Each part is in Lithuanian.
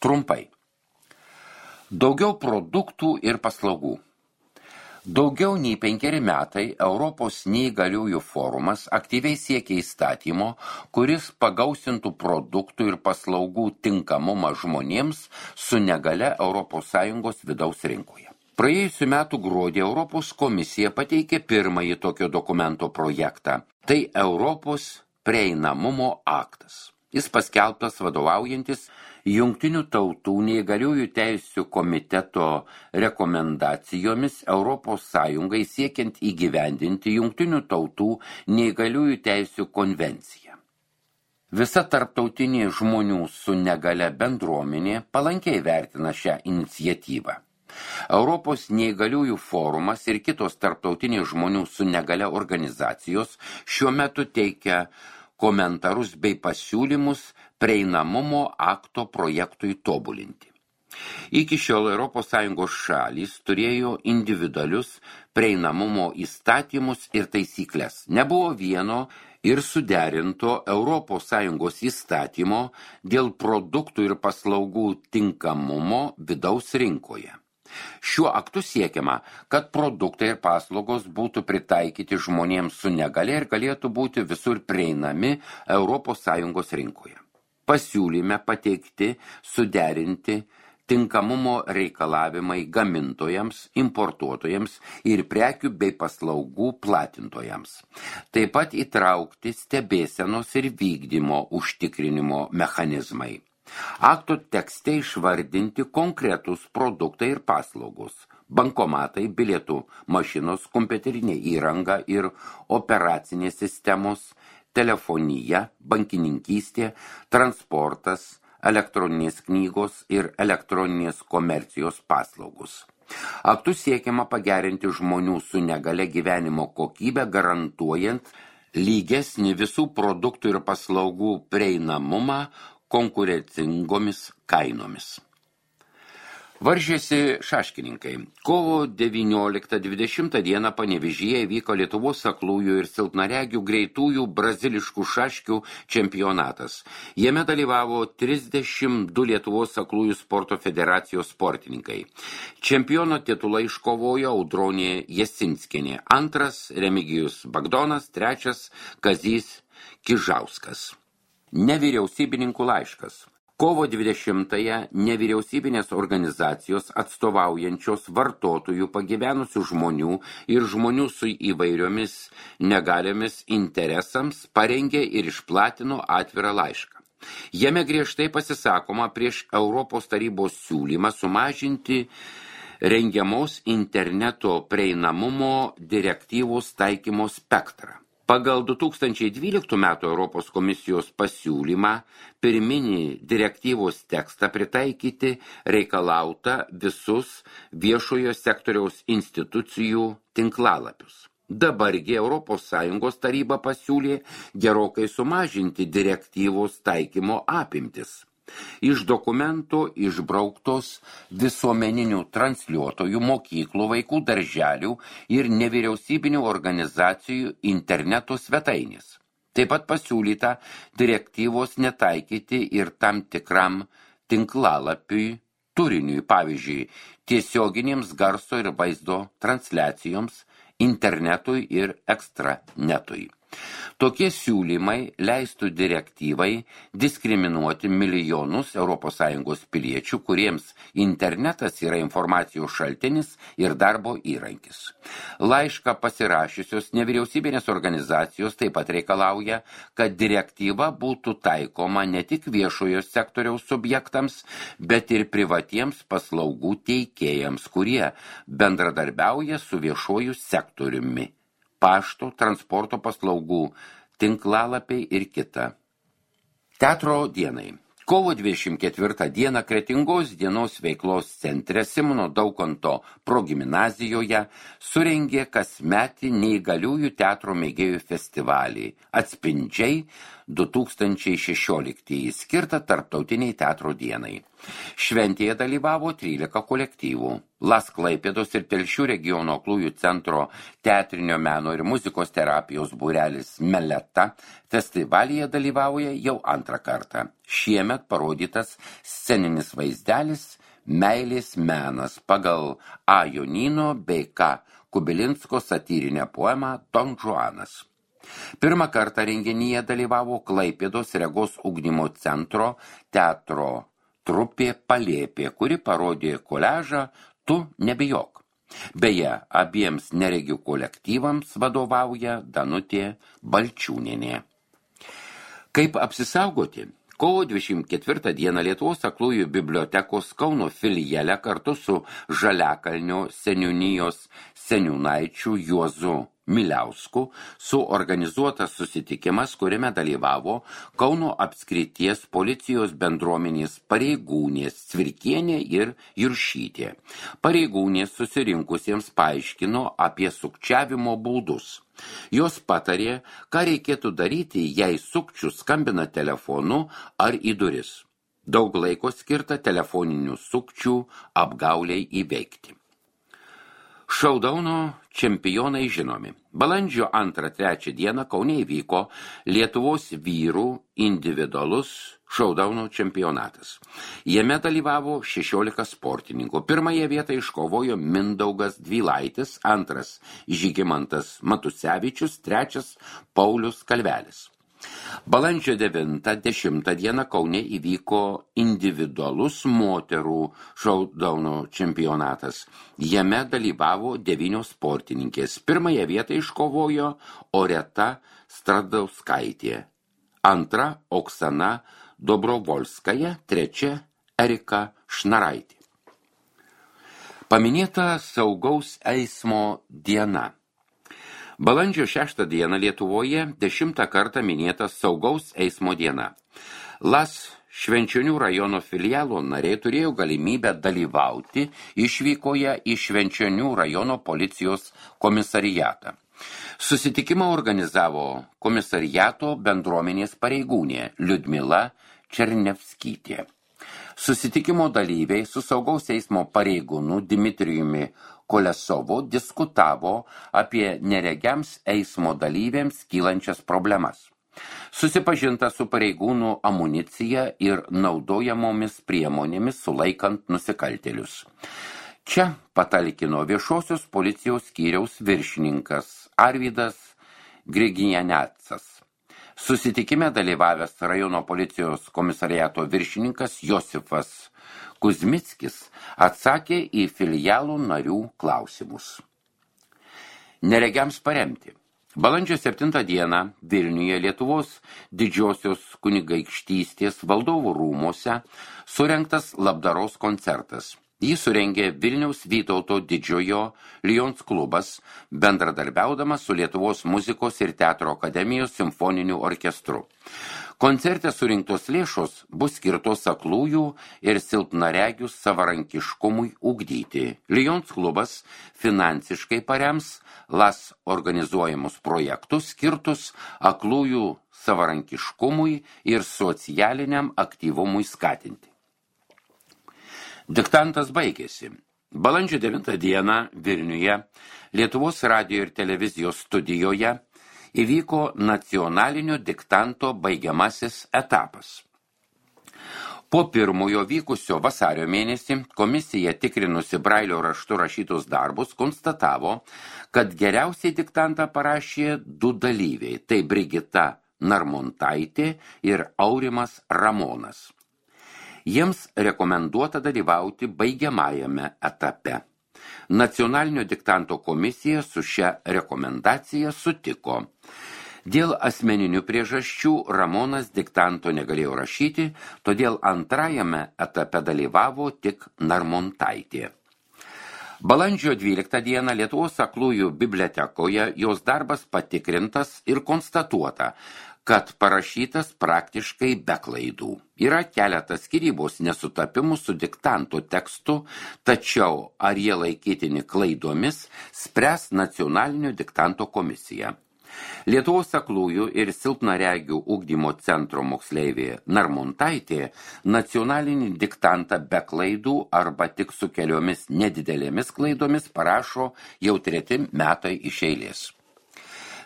Trumpai. Daugiau produktų ir paslaugų. Daugiau nei 5 metai Europos neįgaliųjų forumas aktyviai siekia įstatymo, kuris pagausintų produktų ir paslaugų tinkamumą žmonėms su negale ES vidaus rinkoje. Praėjusių metų gruodį Europos komisija pateikė pirmąjį tokio dokumento projektą. Tai Europos prieinamumo aktas. Jis paskelbtas vadovaujantis Jungtinių tautų neįgaliųjų teisių komiteto rekomendacijomis ES siekiant įgyvendinti Jungtinių tautų neįgaliųjų teisių konvenciją. Visa tarptautinė žmonių su negale bendruomenė palankiai vertina šią iniciatyvą. Europos neįgaliųjų forumas ir kitos tarptautinės žmonių su negale organizacijos šiuo metu teikia komentarus bei pasiūlymus prieinamumo akto projektui tobulinti. Iki šiol ES šalys turėjo individualius prieinamumo įstatymus ir taisyklės. Nebuvo vieno ir suderinto ES įstatymo dėl produktų ir paslaugų tinkamumo vidaus rinkoje. Šiuo aktu siekiama, kad produktai ir paslaugos būtų pritaikyti žmonėms su negale ir galėtų būti visur prieinami ES rinkoje. Pasiūlyme pateikti, suderinti tinkamumo reikalavimai gamintojams, importuotojams ir prekių bei paslaugų platintojams. Taip pat įtraukti stebėsenos ir vykdymo užtikrinimo mechanizmai. Akto tekste išvardinti konkretus produktai ir paslaugos, bankomatai, bilietų mašinos, kompiuterinė įranga ir operacinės sistemos, telefonija, bankininkystė, transportas, elektroninės knygos ir elektroninės komercijos paslaugos. Aktu siekiama pagerinti žmonių su negale gyvenimo kokybę, garantuojant lygesnį visų produktų ir paslaugų prieinamumą konkurencingomis kainomis. Varžėsi šaškininkai. Kovo 19-20 dieną Panevėžyje vyko Lietuvos aklųjų ir silpnaregių greitųjų braziliškų šaškių čempionatas. Jame dalyvavo 32 Lietuvos aklųjų sporto federacijos sportininkai. Čempiono titulą iškovojo Audronė Jasinskienė, antras Remigijus Bagdonas, trečias Kazys Kižauskas. Nevyriausybininkų laiškas. Kovo 20-ąją nevyriausybinės organizacijos atstovaujančios vartotojų, pagyvenusių žmonių ir žmonių su įvairiomis negaliomis interesams parengė ir išplatino atvirą laišką. Jame griežtai pasisakoma prieš Europos tarybos siūlymą sumažinti rengiamos interneto prieinamumo direktyvos taikymo spektrą. Pagal 2012 metų Europos komisijos pasiūlymą pirminį direktyvos tekstą pritaikyti reikalauta visus viešojo sektoriaus institucijų tinklalapius. Dabargi ES taryba pasiūlė gerokai sumažinti direktyvos taikymo apimtis. Iš dokumento išbrauktos visuomeninių transliuotojų, mokyklų, vaikų darželių ir nevyriausybinių organizacijų interneto svetainės. Taip pat pasiūlyta direktyvos netaikyti ir tam tikram tinklalapiui turiniui, pavyzdžiui, tiesioginėms garso ir vaizdo transliacijoms, internetui ir ekstranetui. Tokie siūlymai leistų direktyvai diskriminuoti milijonus ES piliečių, kuriems internetas yra informacijos šaltinis ir darbo įrankis. Laišką pasirašiusios nevyriausybinės organizacijos taip pat reikalauja, kad direktyva būtų taikoma ne tik viešojo sektoriaus subjektams, bet ir privatiems paslaugų teikėjams, kurie bendradarbiauja su viešuoju sektoriumi. Pašto, transporto paslaugų, tinklalapiai ir kita. Teatro dienai. Kovo 24 dieną Kretingos dienos veiklos centre Simono Daukanto progimnazijoje surengė kasmetį neįgaliųjų teatro mėgėjų festivalį Atspindžiai 2016, skirtą Tarptautiniai teatro dienai. Šventėje dalyvavo 13 kolektyvų. Las Klaipėdos ir Telšių regiono aklųjų centro teatrinio meno ir muzikos terapijos būrelis Meleta festivalyje dalyvauja jau antrą kartą. Šiemet parodytas sceninis vaizdelis Meilės menas pagal A. Jonino bei K. Kubilinsko satyrinę poemą Don Juanas. Pirmą kartą renginyje dalyvavo Klaipėdos regos ugdymo centro teatro trupė Palėpė, kuri parodė koliažą Tu nebijok. Beje, abiems neregių kolektyvams vadovauja Danutė Balčiūnienė. Kaip apsisaugoti? Kovo 24 dieną Lietuvos aklųjų bibliotekos Kauno filiale kartu su Žaliakalnio seniūnijos seniūnaičiu Juozu Miliausku suorganizuotas susitikimas, kuriame dalyvavo Kauno apskrities policijos bendruomenės pareigūnės Cvirkienė ir Juršytė. Pareigūnės susirinkusiems paaiškino apie sukčiavimo būdus. Jos patarė, ką reikėtų daryti, jei sukčių skambina telefonu ar į duris. Daug laiko skirta telefoninių sukčių apgauliai įveikti. Šaudauno čempionai žinomi. Balandžio 2-3 dieną Kaune įvyko Lietuvos vyrų individualus šaudauno čempionatas. Jame dalyvavo 16 sportininkų. Pirmąją vietą iškovojo Mindaugas Dvylaitis, antras Žygimantas Matusevičius, trečias Paulius Kalvelis. Balandžio 9-10 dieną Kaune įvyko individualus moterų šaudauno čempionatas. Jame dalyvavo 9 sportininkės. Pirmąją vietą iškovojo Oreta Stradauskaitė, antra Oksana Dobrovolskaja, trečia Erika Šnaraitė. Paminėta saugaus eismo diena. Balandžio 6 dieną Lietuvoje 10 kartą minėta saugaus eismo diena. Las Švenčionių rajono filialo nariai turėjo galimybę dalyvauti išvykoje į Švenčionių rajono policijos komisariatą. Susitikimą organizavo komisariato bendruomenės pareigūnė Liudmila Černevskytė. Susitikimo dalyviai su saugaus eismo pareigūnu Dmitrijumi Kolesovu diskutavo apie neregiams eismo dalyviams kylančias problemas. Susipažinta su pareigūnų amunicija ir naudojamomis priemonėmis sulaikant nusikaltėlius. Čia patalkino viešosios policijos skyriaus viršininkas Arvydas Grigianecas. Susitikime dalyvavęs rajono policijos komisariato viršininkas Josifas Kuzmickis atsakė į filialų narių klausimus. Neregiams paremti. Balandžio 7 dieną Vilniuje Lietuvos didžiosios kunigaikštystės valdovų rūmuose surengtas labdaros koncertas. Jį surengė Vilniaus Vytauto didžiojo Lions klubas, bendradarbiaudamas su Lietuvos muzikos ir teatro akademijos simfoniniu orkestru. Koncerte surinktos lėšos bus skirtos aklųjų ir silpnaregių savarankiškumui ugdyti. Lions klubas finansiškai parems Las organizuojamus projektus skirtus aklųjų savarankiškumui ir socialiniam aktyvumui skatinti. Diktantas baigėsi. Balandžio 9 dieną Vilniuje Lietuvos radijo ir televizijos studijoje įvyko nacionalinio diktanto baigiamasis etapas. Po pirmojo vykusio vasario mėnesį komisija tikrinusi Brailio raštu rašytus darbus konstatavo, kad geriausiai diktantą parašė 2 dalyviai, tai Brigita Narmontaitė ir Aurimas Ramonas. Jiems rekomenduota dalyvauti baigiamajame etape. Nacionalinio diktanto komisija su šia rekomendacija sutiko. Dėl asmeninių priežasčių Ramonas diktanto negalėjo rašyti, todėl antrajame etape dalyvavo tik Narmontaitė. Balandžio 12 dieną Lietuvos aklųjų bibliotekoje jos darbas patikrintas ir konstatuota, kad parašytas praktiškai be klaidų. Yra keletas skyrybos nesutapimų su diktanto tekstu, tačiau ar jie laikytini klaidomis, spręs nacionalinio diktanto komisija. Lietuvos aklųjų ir silpnaregių ugdymo centro moksleivė Narmontaitė nacionalinį diktantą be klaidų arba tik su keliomis nedidelėmis klaidomis parašo jau 3 metai iš eilės.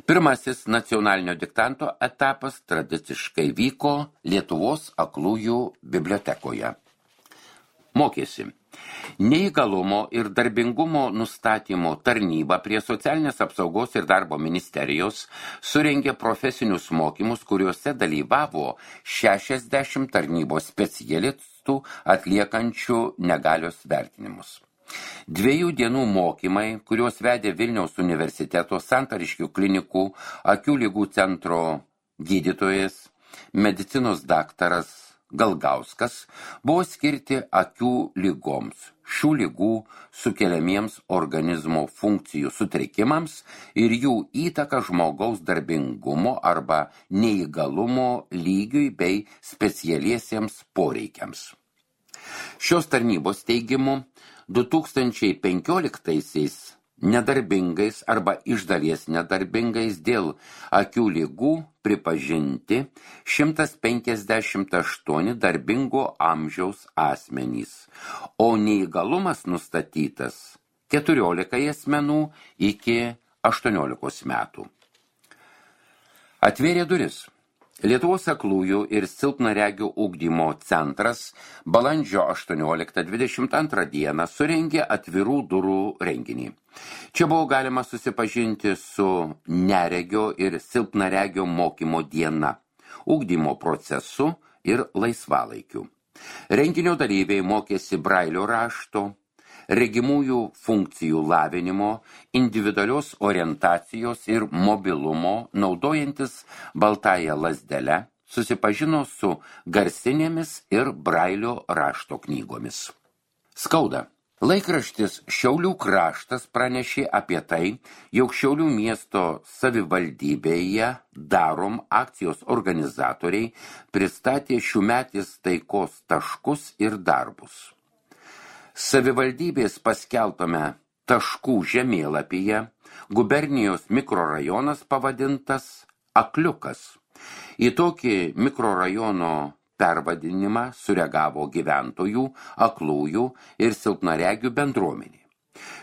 Pirmasis nacionalinio diktanto etapas tradiciškai vyko Lietuvos aklųjų bibliotekoje. Mokėsi. Neįgalumo ir darbingumo nustatymo tarnyba prie Socialinės apsaugos ir darbo ministerijos surengė profesinius mokymus, kuriuose dalyvavo 60 tarnybos specialistų atliekančių negalios vertinimus. 2 dienų mokymai, kuriuos vedė Vilniaus universiteto Santariškių klinikų akių ligų centro gydytojas, medicinos daktaras Galgauskas, buvo skirti akių ligoms, šių ligų sukeliamiems organizmo funkcijų sutrikimams ir jų įtaka žmogaus darbingumo arba neįgalumo lygiui bei specialiesiems poreikiams. Šios tarnybos teigimu 2015-aisiais nedarbingais arba iš dalies nedarbingais dėl akių ligų pripažinti 158 darbingo amžiaus asmenys, o neįgalumas nustatytas 14 asmenų iki 18 metų. Atvėrė duris. Lietuvos aklųjų ir silpnaregių ugdymo centras balandžio 18-22 dieną surengė atvirų durų renginį. Čia buvo galima susipažinti su neregio ir silpnaregio mokymo diena, ugdymo procesu ir laisvalaikiu. Renginio dalyviai mokėsi brailio rašto, regimųjų funkcijų lavinimo, individualios orientacijos ir mobilumo, naudojantis baltąją lazdelę, susipažino su garsinėmis ir brailio rašto knygomis. Skauda. Laikraštis Šiaulių kraštas pranešė apie tai, jog Šiaulių miesto savivaldybėje Darom akcijos organizatoriai pristatė šiųmetis taikos taškus ir darbus. Savivaldybės paskelbtame taškų žemėlapyje gubernijos mikrorajonas pavadintas Akliukas. Į tokį mikrorajono pervadinimą sureagavo gyventojų, aklųjų ir silpnaregių bendruomenė.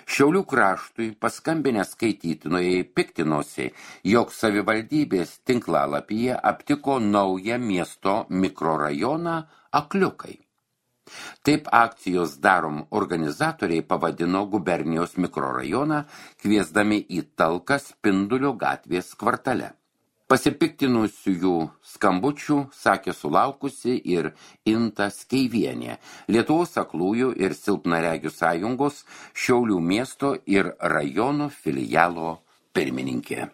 Šiaulių kraštui paskambinę skaitytojai piktinosi, jog savivaldybės tinklalapyje aptiko naują miesto mikrorajoną Akliukai. Taip akcijos Darom organizatoriai pavadino gubernijos mikrorajoną, kviesdami į talką Spindulio gatvės kvartale. Pasipiktinusiųjų skambučių sakė sulaukusi ir Inta Skeivienė, Lietuvos aklųjų ir silpnaregių sąjungos Šiaulių miesto ir rajono filialo pirmininkė.